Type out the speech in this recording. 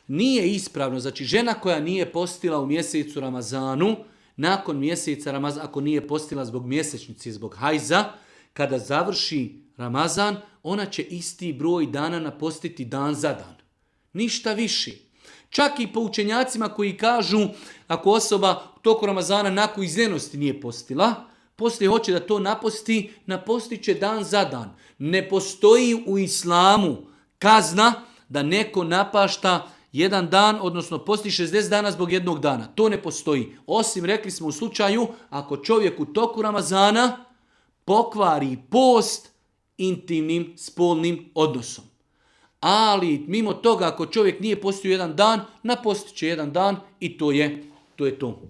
Nije ispravno, znači žena koja nije postila u mjesecu Ramazanu, nakon mjeseca Ramazana, ako nije postila zbog mjesečnice, zbog hajza, kada završi Ramazan, ona će isti broj dana napostiti dan za dan. Ništa više. Čak i po učenjacima koji kažu, ako osoba u toku Ramazana nakon izljenosti nije postila, poslije hoće da to naposti, napostit će dan za dan. Ne postoji u islamu kazna da neko napašta jedan dan, odnosno posti 60 dana zbog jednog dana. To ne postoji. Osim, rekli smo u slučaju, ako čovjek u toku Ramazana pokvari post intimnim, spolnim odnosom. Ali mimo toga, ako čovjek nije postio jedan dan, napostit će jedan dan i to je to.